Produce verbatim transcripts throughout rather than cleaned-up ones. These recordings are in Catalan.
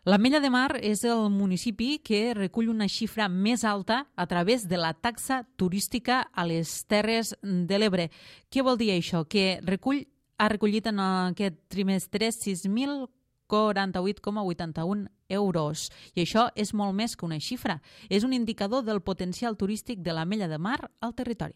L'Ametlla de Mar és el municipi que recull una xifra més alta a través de la taxa turística a les Terres de l'Ebre. Què vol dir això? Que recull, ha recollit en aquest trimestre sis mil quaranta-vuit coma vuitanta-un euros. I això és molt més que una xifra. És un indicador del potencial turístic de l'Ametlla de Mar al territori.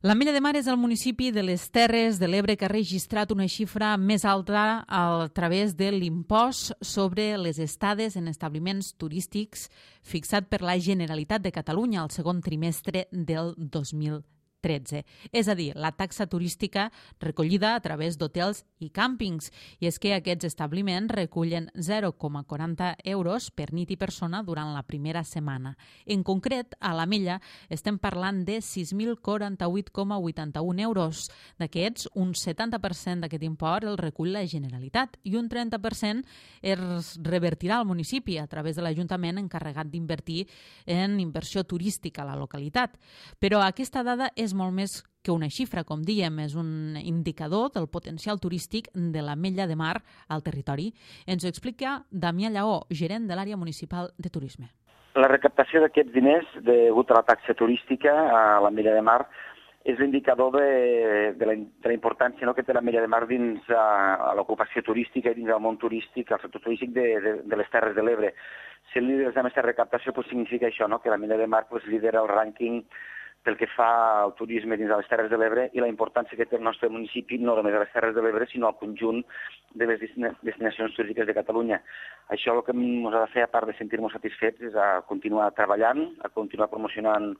L'Ametlla de Mar és el municipi de les Terres de l'Ebre que ha registrat una xifra més alta a través de l'impost sobre les estades en establiments turístics fixat per la Generalitat de Catalunya al segon trimestre del dos mil tretze. És a dir, la taxa turística recollida a través d'hotels i càmpings. I és que aquests establiments recullen zero coma quaranta euros per nit i persona durant la primera setmana. En concret, a l'Ametlla estem parlant de sis mil quaranta-vuit coma vuitanta-un euros. D'aquests, un setanta per cent d'aquest import el recull la Generalitat i un trenta per cent es revertirà al municipi a través de l'Ajuntament encarregat d'invertir en inversió turística a la localitat. Però aquesta dada és molt més que una xifra, com diem, és un indicador del potencial turístic de l'Ametlla de Mar al territori. Ens ho explica Damià Lleó, gerent de l'àrea municipal de turisme. La recaptació d'aquests diners degut a la taxa turística a l'Ametlla de Mar és l'indicador de, de, la, de la importància no, que té l'Ametlla de Mar dins a, a l'ocupació turística i dins del món turístic, al sector turístic de, de, de les Terres de l'Ebre. Si el líder d'aquesta recaptació pues, significa això, no, que l'Ametlla de Mar pues, lidera el rànquing pel que fa al turisme dins de les Terres de l'Ebre i la importància que té el nostre municipi no només a les Terres de l'Ebre, sinó al conjunt de les destinacions turístiques de Catalunya. Això el que ens ha de fer, a part de sentir-nos satisfets, és a continuar treballant, a continuar promocionant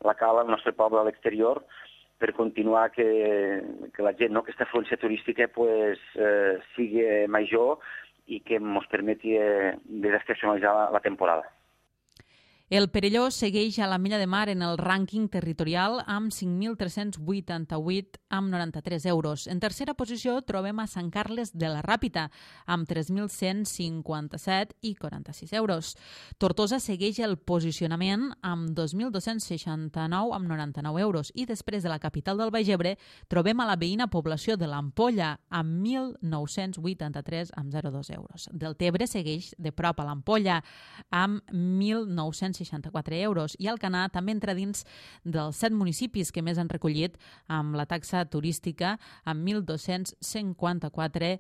la cala del nostre poble a l'exterior, per continuar que, que la gent, no, aquesta afluència turística pues, eh, sigui major i que ens permeti eh, desestacionalitzar la, la temporada. El Perelló segueix a l'Ametlla de Mar en el rànquing territorial amb cinc mil tres-cents vuitanta-vuit amb noranta-tres euros. En tercera posició trobem a Sant Carles de la Ràpita amb tres mil cent cinquanta-set i quaranta-sis euros. Tortosa segueix el posicionament amb dos mil dos-cents seixanta-nou amb noranta-nou euros i després de la capital del Baix Ebre trobem a la veïna població de l'Ampolla amb mil nou-cents vuitanta-tres amb zero coma dos euros. Deltebre segueix de prop a l'Ampolla amb mil nou-cents seixanta-quatre euros i Alcanar també entra dins dels set municipis que més han recollit amb la taxa turística amb mil dos-cents cinquanta-quatre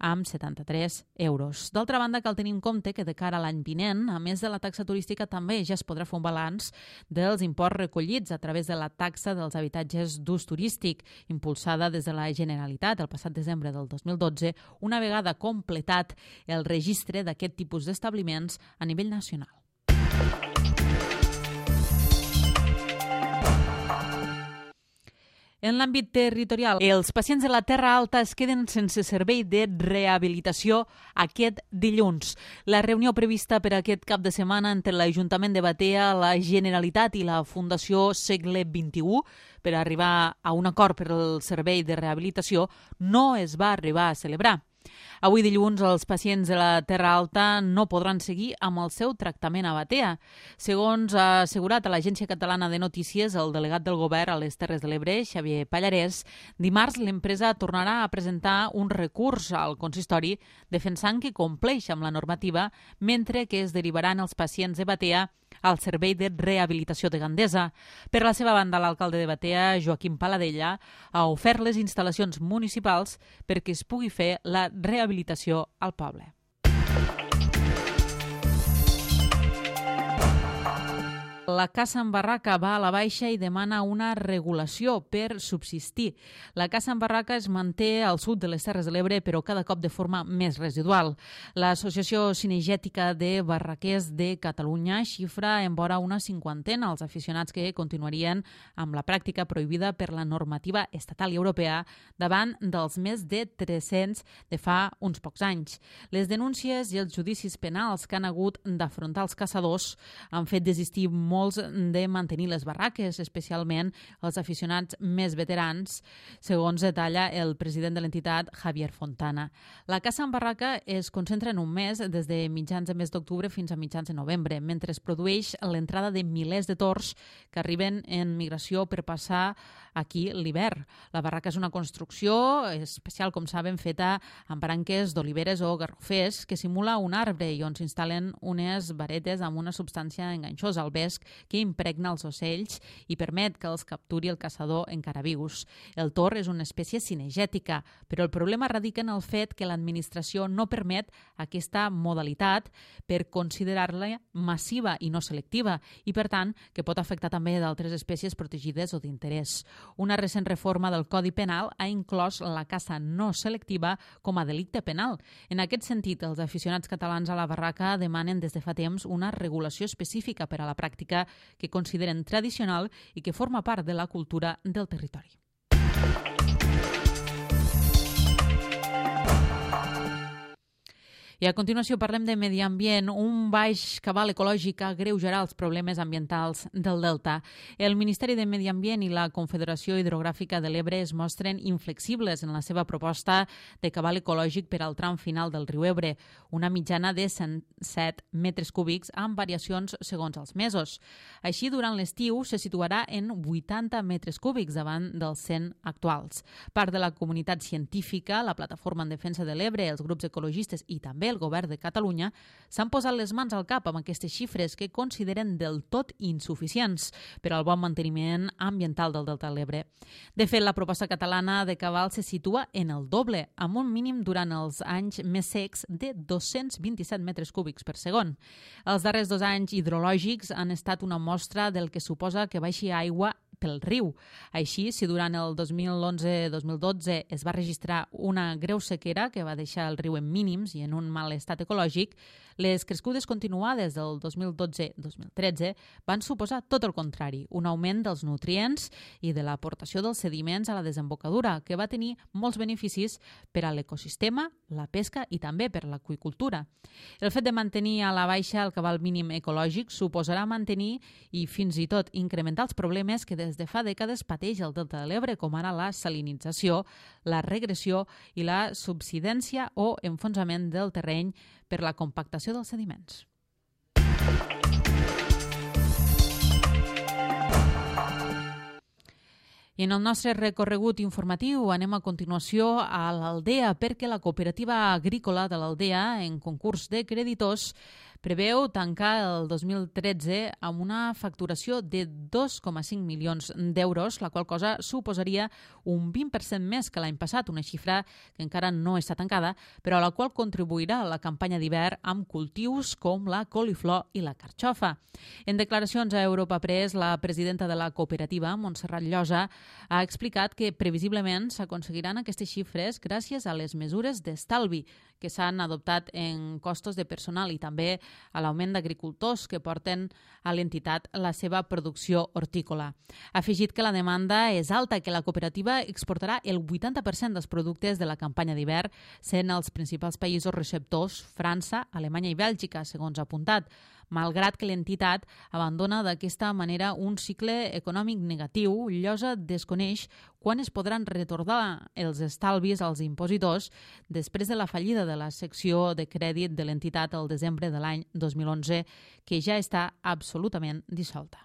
amb setanta-tres euros. D'altra banda, cal tenir en compte que de cara a l'any vinent, a més de la taxa turística, també ja es podrà fer un balanç dels imports recollits a través de la taxa dels habitatges d'ús turístic impulsada des de la Generalitat el passat desembre del dos mil dotze, una vegada completat el registre d'aquest tipus d'establiments a nivell nacional. En l'àmbit territorial, els pacients de la Terra Alta es queden sense servei de rehabilitació aquest dilluns. La reunió prevista per aquest cap de setmana entre l'Ajuntament de Batea, la Generalitat i la Fundació Segle vint-i-u per arribar a un acord per al servei de rehabilitació no es va arribar a celebrar. Avui dilluns els pacients de la Terra Alta no podran seguir amb el seu tractament a Batea. Segons ha assegurat a l'Agència Catalana de Notícies el delegat del govern a les Terres de l'Ebre, Xavier Pallarès, dimarts l'empresa tornarà a presentar un recurs al consistori defensant que compleix amb la normativa mentre que es derivaran els pacients de Batea al servei de rehabilitació de Gandesa. Per la seva banda, l'alcalde de Batea, Joaquim Paladella, ha ofert les instal·lacions municipals perquè es pugui fer la rehabilitació al poble. La Casa en Barraca va a la baixa i demana una regulació per subsistir. La Casa en Barraca es manté al sud de les Terres de l'Ebre, però cada cop de forma més residual. L'Associació Cinegètica de Barraquers de Catalunya xifra en vora una cinquantena els aficionats que continuarien amb la pràctica prohibida per la normativa estatal i europea davant dels més de tres-cents de fa uns pocs anys. Les denúncies i els judicis penals que han hagut d'afrontar els caçadors han fet desistir molt molts de mantenir les barraques, especialment els aficionats més veterans, segons detalla el president de l'entitat, Javier Fontana. La caça en barraca es concentra en un mes, des de mitjans de mes d'octubre fins a mitjans de novembre, mentre es produeix l'entrada de milers de tords que arriben en migració per passar aquí l'hivern. La barraca és una construcció especial, com saben, feta amb branques d'oliveres o garrofers que simula un arbre i on s'instal·len unes varetes amb una substància enganxosa al vesc que impregna els ocells i permet que els capturi el caçador encara vius. El tor és una espècie cinegètica, però el problema radica en el fet que l'administració no permet aquesta modalitat per considerar-la massiva i no selectiva i, per tant, que pot afectar també d'altres espècies protegides o d'interès. Una recent reforma del Codi Penal ha inclòs la caça no selectiva com a delicte penal. En aquest sentit, els aficionats catalans a la barraca demanen des de fa temps una regulació específica per a la pràctica que consideren tradicional i que forma part de la cultura del territori. I a continuació parlem de medi ambient. Un baix cabal ecològic agreujarà els problemes ambientals del Delta. El Ministeri de Medi Ambient i la Confederació Hidrogràfica de l'Ebre es mostren inflexibles en la seva proposta de cabal ecològic per al tram final del riu Ebre, una mitjana de cent set metres cúbics amb variacions segons els mesos. Així, durant l'estiu se situarà en vuitanta metres cúbics davant dels cent actuals. Part de la comunitat científica, la Plataforma en Defensa de l'Ebre, els grups ecologistes i també el govern de Catalunya s'han posat les mans al cap amb aquestes xifres que consideren del tot insuficients per al bon manteniment ambiental del Delta de l'Ebre. De fet, la proposta catalana de cabal se situa en el doble, amb un mínim durant els anys més secs de dos-cents vint-i-set metres cúbics per segon. Els darrers dos anys hidrològics han estat una mostra del que suposa que baixi aigua pel riu. Així, si durant el dos mil onze dos mil dotze es va registrar una greu sequera que va deixar el riu en mínims i en un mal estat ecològic, les crescudes continuades del dos mil dotze dos mil tretze van suposar tot el contrari, un augment dels nutrients i de l'aportació dels sediments a la desembocadura, que va tenir molts beneficis per a l'ecosistema, la pesca i també per l'aqüicultura. El fet de mantenir a la baixa el cabal mínim ecològic suposarà mantenir i fins i tot incrementar els problemes que des de fa dècades pateix el Delta de l'Ebre, com ara la salinització, la regressió i la subsidència o enfonsament del terreny per la compactació dels sediments. I en el nostre recorregut informatiu anem a continuació a l'Aldea, perquè la cooperativa agrícola de l'Aldea, en concurs de creditors, preveu tancar el dos mil tretze amb una facturació de dos coma cinc milions d'euros, la qual cosa suposaria un vint per cent més que l'any passat, una xifra que encara no està tancada, però a la qual contribuirà la campanya d'hivern amb cultius com la coliflor i la carxofa. En declaracions a Europa Press, la presidenta de la cooperativa, Montserrat Llosa, ha explicat que previsiblement s'aconseguiran aquestes xifres gràcies a les mesures d'estalvi que s'han adoptat en costos de personal i també a l'augment d'agricultors que porten a l'entitat la seva producció hortícola. Ha afegit que la demanda és alta i que la cooperativa exportarà el vuitanta per cent dels productes de la campanya d'hivern, sent els principals països receptors França, Alemanya i Bèlgica, segons ha apuntat, malgrat que l'entitat abandona d'aquesta manera un cicle econòmic negatiu. Llosa desconeix quan es podran retornar els estalvis als impositors després de la fallida de la secció de crèdit de l'entitat al desembre de l'any dos mil onze, que ja està absolutament dissolta.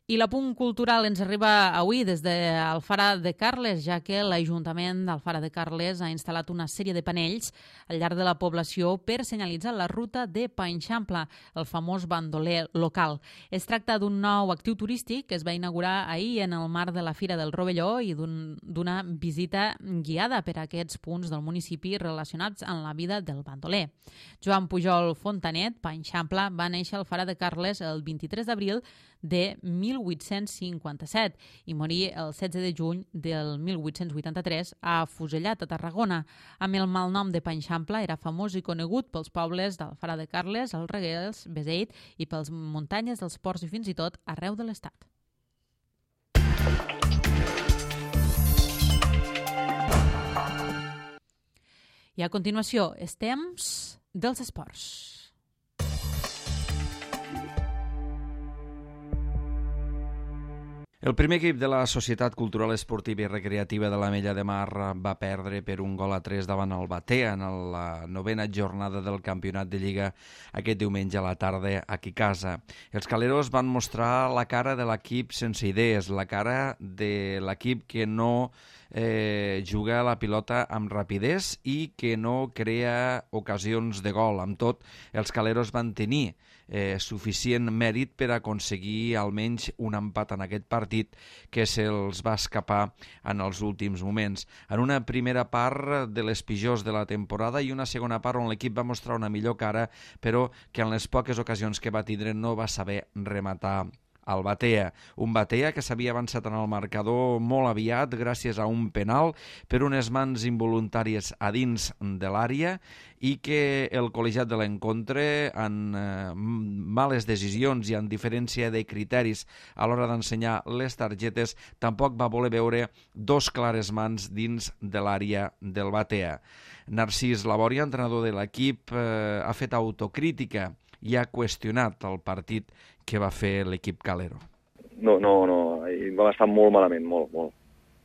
I l'apunt cultural ens arriba avui des d'Alfara de Carles, ja que l'Ajuntament d'Alfara de Carles ha instal·lat una sèrie de panells al llarg de la població per senyalitzar la ruta de Panxampla, el famós bandoler local. Es tracta d'un nou actiu turístic que es va inaugurar ahir en el marc de la Fira del Rovelló i d'una visita guiada per a aquests punts del municipi relacionats amb la vida del bandoler. Joan Pujol Fontanet, Panxampla, va néixer a Alfara de Carles el vint-i-tres d'abril de mil vuit-cents cinquanta-set i morir el setze de juny del mil vuit-cents vuitanta-tres a Fusellat, a Tarragona. Amb el malnom de Panxampla era famós i conegut pels pobles d'Alfara de Carles, el Reguers, Beseit i pels muntanyes dels ports i fins i tot arreu de l'estat. I a continuació, és temps dels esports. El primer equip de la Societat Cultural Esportiva i Recreativa de l'Ametlla de Mar va perdre per un gol a tres davant el Batea en la novena jornada del campionat de Lliga aquest diumenge a la tarda aquí a casa. Els caleros van mostrar la cara de l'equip sense idees, la cara de l'equip que no eh, juga la pilota amb rapidesa i que no crea ocasions de gol. Amb tot, els caleros van tenir eh, suficient mèrit per aconseguir almenys un empat en aquest partit que se'ls va escapar en els últims moments. En una primera part de les pitjors de la temporada i una segona part on l'equip va mostrar una millor cara, però que en les poques ocasions que va tindre no va saber rematar el Batea. Un Batea que s'havia avançat en el marcador molt aviat gràcies a un penal per unes mans involuntàries a dins de l'àrea i que el col·legiat de l'encontre, en eh, males decisions i en diferència de criteris a l'hora d'ensenyar les targetes, tampoc va voler veure dos clares mans dins de l'àrea del Batea. Narcís Labòria, entrenador de l'equip, eh, ha fet autocrítica i ha qüestionat el partit que va fer l'equip calero. No, no, no, vam estar molt malament, molt, molt.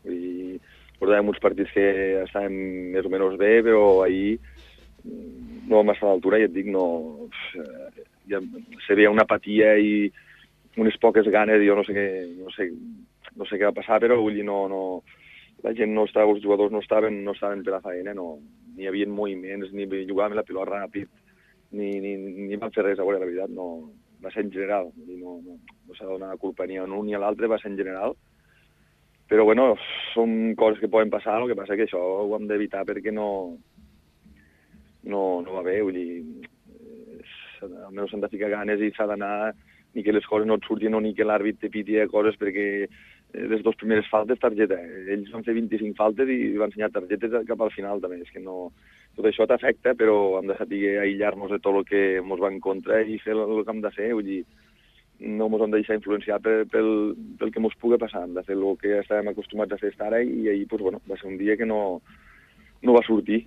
I portàvem uns partits que estàvem més o menys bé, però ahir no vam estar a l'altura i et dic, no... Ja se veia una apatia i unes poques ganes, jo no sé què, no sé, no sé què va passar, però vull dir, no, no, la gent no estava, els jugadors no estaven, no estaven per la feina, no, ni hi havia moviments, ni jugàvem la pilota ràpid, ni, ni, ni van fer res, a veure, la veritat, no, va ser en general, no, no, no s'ha de donar culpa ni a un ni a l'altre, va ser en general, però bueno, són coses que poden passar, el que passa que això ho hem d'evitar perquè no, no, no va bé, vull dir, almenys s'han de ficar ganes i s'ha d'anar, ni que les coses no et surtin o ni que l'àrbit te piti coses perquè les dues primeres faltes, targeta. Ells van fer vint-i-cinc faltes i van ensenyar targetes cap al final també. És que no... Tot això t'afecta, però hem de saber aïllar-nos de tot el que ens va en contra i fer el que hem de fer. Vull dir, no ens hem de deixar influenciar pel, pel, pel que ens pugui passar. Hem de fer el que estàvem acostumats a fer fins ara i ahir pues, bueno, va ser un dia que no, no va sortir.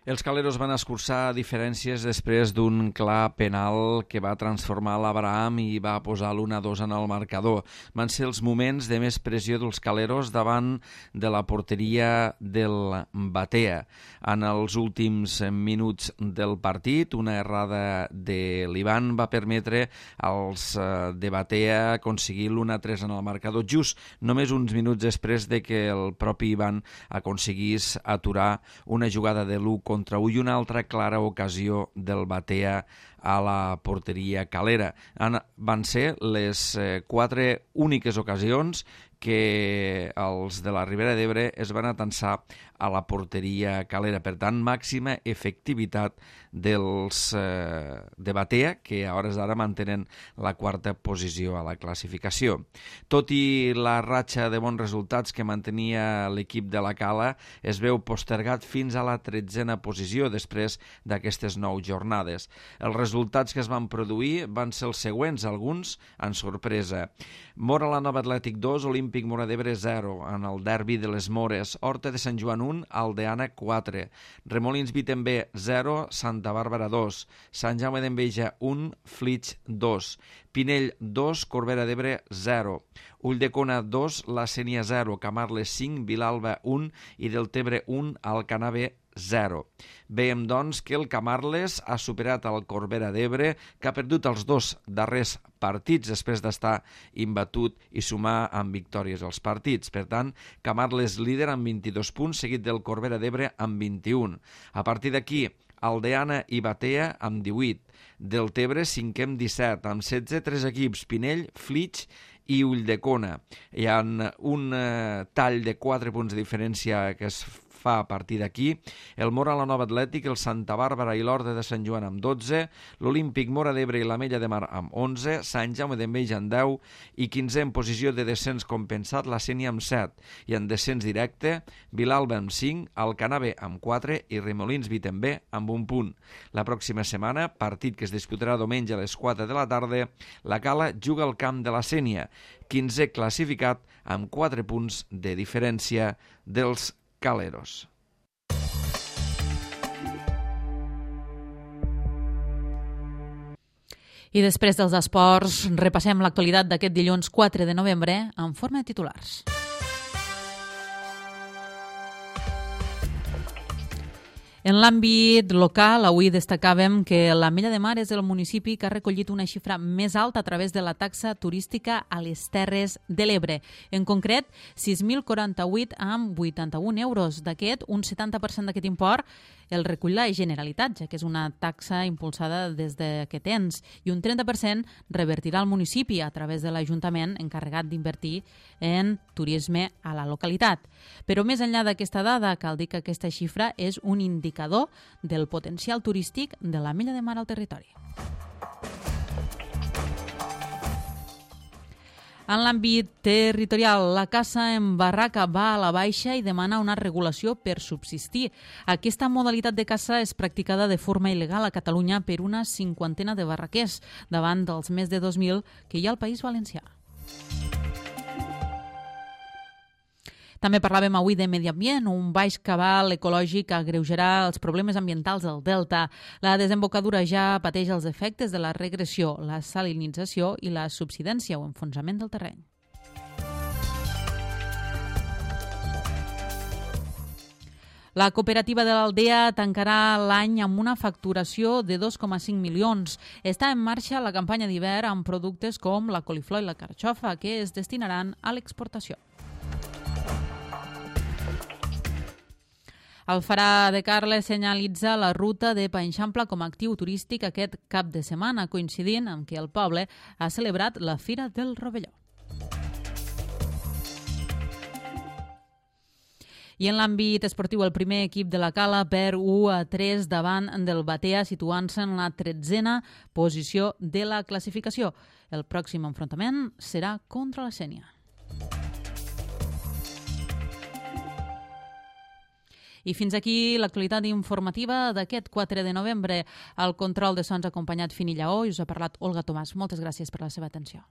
Els caleros van escurçar diferències després d'un clar penal que va transformar l'Abraham i va posar l'u a dos en el marcador. Van ser els moments de més pressió dels caleros davant de la porteria del Batea. En els últims minuts del partit, una errada de l'Ivan va permetre als de Batea aconseguir l'u a tres en el marcador, just només uns minuts després de que el propi Ivan aconseguís aturar una jugada de l'u contra u i una altra clara ocasió del Batea a la porteria calera. Van ser les eh, quatre úniques ocasions que els de la Ribera d'Ebre es van atensar a la porteria calera. Per tant, màxima efectivitat dels eh, de Batea, que a hores d'ara mantenen la quarta posició a la classificació. Tot i la ratxa de bons resultats que mantenia l'equip de la Cala, es veu postergat fins a la tretzena posició després d'aquestes nou jornades. Els resultats que es van produir van ser els següents, alguns en sorpresa. Mora la Nova Atlètic dos, Olímpic Móra d'Ebre zero, en el derbi de les Mores. Horta de Sant Joan un, Aldeana quatre. Remolins Vitember zero, Santa Bàrbara dos. Sant Jaume d'Enveja un, Flix dos. Pinell dos, Corbera d'Ebre zero. Ulldecona dos, La Sénia zero. Camarles cinc, Vilalba un i Deltebre un, Alcanar B zero. Veiem, doncs, que el Camarles ha superat el Corbera d'Ebre, que ha perdut els dos darrers partits després d'estar imbatut i sumar amb victòries als partits. Per tant, Camarles líder amb vint-i-dos punts, seguit del Corbera d'Ebre amb vint-i-un. A partir d'aquí, Aldeana i Batea amb divuit. Deltebre cinquè amb disset, amb setze, tres equips, Pinell, Flix i Ulldecona. Hi ha un eh, tall de quatre punts de diferència que es fa a partir d'aquí. El Mora la Nova Atlètic, el Santa Bàrbara i l'Horta de Sant Joan amb dotze, l'Olímpic Móra d'Ebre i l'Ametlla de Mar amb onze, Sant Jaume d'Enveja amb deu i quinzè en posició de descens compensat la Sénia amb set i en descens directe Vilalba amb cinc, Alcanar B amb quatre i Remolins Vitember amb un punt. La pròxima setmana, partit que es disputarà diumenge a les quatre de la tarda, la Cala juga al camp de la Sénia, quinzè classificat amb quatre punts de diferència dels caleros. I després dels esports, repassem l'actualitat d'aquest dilluns quatre de novembre en forma de titulars. En l'àmbit local, avui destacàvem que l'Ametlla de Mar és el municipi que ha recollit una xifra més alta a través de la taxa turística a les Terres de l'Ebre. En concret, sis mil quaranta-vuit amb vuitanta-un euros. D'aquest, un setanta per cent d'aquest import el recull la Generalitat, ja que és una taxa impulsada des d'aquest ens, i un trenta per cent revertirà al municipi a través de l'Ajuntament encarregat d'invertir en turisme a la localitat. Però més enllà d'aquesta dada, cal dir que aquesta xifra és un indicador del potencial turístic de l'Ametlla de Mar al territori. En l'àmbit territorial, la caça en barraca va a la baixa i demana una regulació per subsistir. Aquesta modalitat de caça és practicada de forma il·legal a Catalunya per una cinquantena de barraquers, davant dels més de dos mil que hi ha al País Valencià. També parlàvem avui de medi ambient, un baix cabal ecològic agreujarà els problemes ambientals del delta. La desembocadura ja pateix els efectes de la regressió, la salinització i la subsidència o enfonsament del terreny. La cooperativa de l'Aldea tancarà l'any amb una facturació de dos coma cinc milions. Està en marxa la campanya d'hivern amb productes com la coliflor i la carxofa, que es destinaran a l'exportació. El Farà de Carles senyalitza la ruta de Panxampla com a actiu turístic aquest cap de setmana, coincidint amb que el poble ha celebrat la Fira del Rovelló. I en l'àmbit esportiu, el primer equip de la Cala perd u a tres davant del Batea, situant-se en la tretzena posició de la classificació. El pròxim enfrontament serà contra la Sénia. I fins aquí l'actualitat informativa d'aquest quatre de novembre. Al control de sons ha acompanyat Fini Lleó i us ha parlat Olga Tomàs. Moltes gràcies per la seva atenció.